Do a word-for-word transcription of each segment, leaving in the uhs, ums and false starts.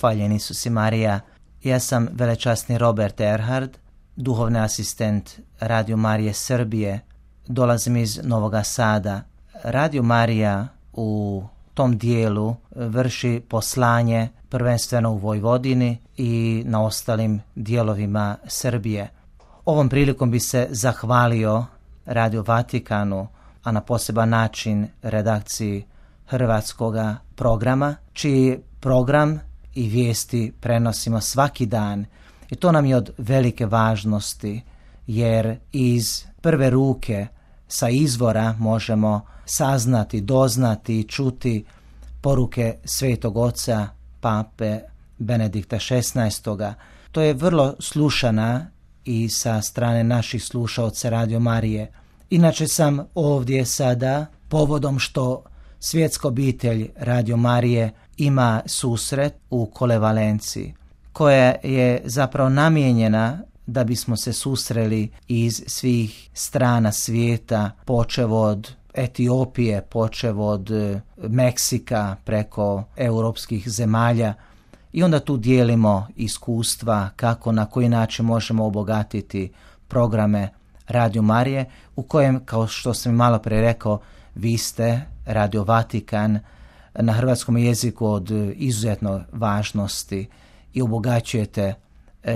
Hvaljeni su si Marija. Ja sam velečasni Robert Erhard, duhovni asistent Radio Marije Srbije. Dolazim iz Novoga Sada. Radio Marija u tom dijelu vrši poslanje prvenstveno u Vojvodini i na ostalim dijelovima Srbije. Ovom prilikom bi se zahvalio Radio Vatikanu, a na poseban način redakciji hrvatskoga programa, čiji program i vijesti prenosimo svaki dan. I to nam je od velike važnosti, jer iz prve ruke sa izvora možemo saznati, doznati i čuti poruke Svetog Oca Pape Benedikta šesnaestoga. To je vrlo slušana i sa strane naših slušaoca Radio Marije. Inače sam ovdje sada povodom što svjetska obitelj Radio Marije ima susret u Kolevalenciji, koja je zapravo namijenjena da bismo se susreli iz svih strana svijeta, počev od Etiopije, počev od Meksika, preko europskih zemalja, i onda tu dijelimo iskustva kako, na koji način možemo obogatiti programe Radio Marije, u kojem, kao što sam malo pre rekao, vi ste Radio Vatikan na hrvatskom jeziku od izuzetno važnosti i obogaćujete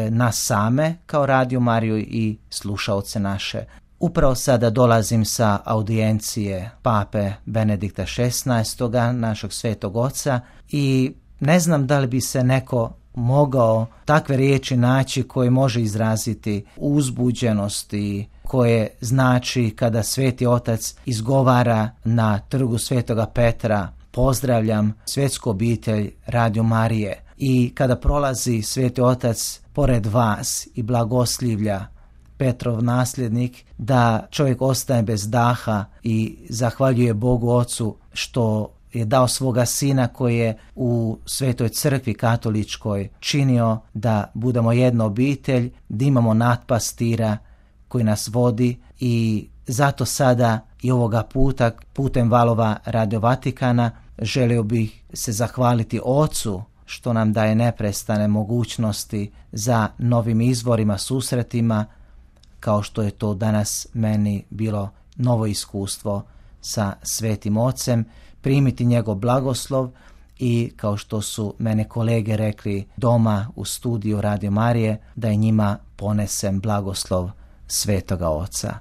nas same kao Radio Mariju i slušaoce naše. Upravo sada dolazim sa audijencije Pape Benedikta šesnaestoga, našeg Svetog Oca, i ne znam da li bi se neko mogao takve riječi naći koje može izraziti uzbuđenost i koje znači kada Sveti Otac izgovara na trgu Svetoga Petra: pozdravljam svjetsku obitelj Radio Marije. I kada prolazi Sveti Otac pored vas i blagoslivlja Petrov nasljednik, da čovjek ostaje bez daha i zahvaljuje Bogu Ocu što je dao svoga sina koji je u Svetoj crkvi katoličkoj činio da budemo jedna obitelj, da imamo nadpastira koji nas vodi. I zato sada i ovoga puta putem valova Radio Vatikana želio bih se zahvaliti Ocu što nam daje neprestane mogućnosti za novim izvorima, susretima, kao što je to danas meni bilo novo iskustvo sa Svetim Ocem, primiti njegov blagoslov i, kao što su mene kolege rekli doma u studiju Radio Marije, da i njima ponesem blagoslov Svetoga Oca.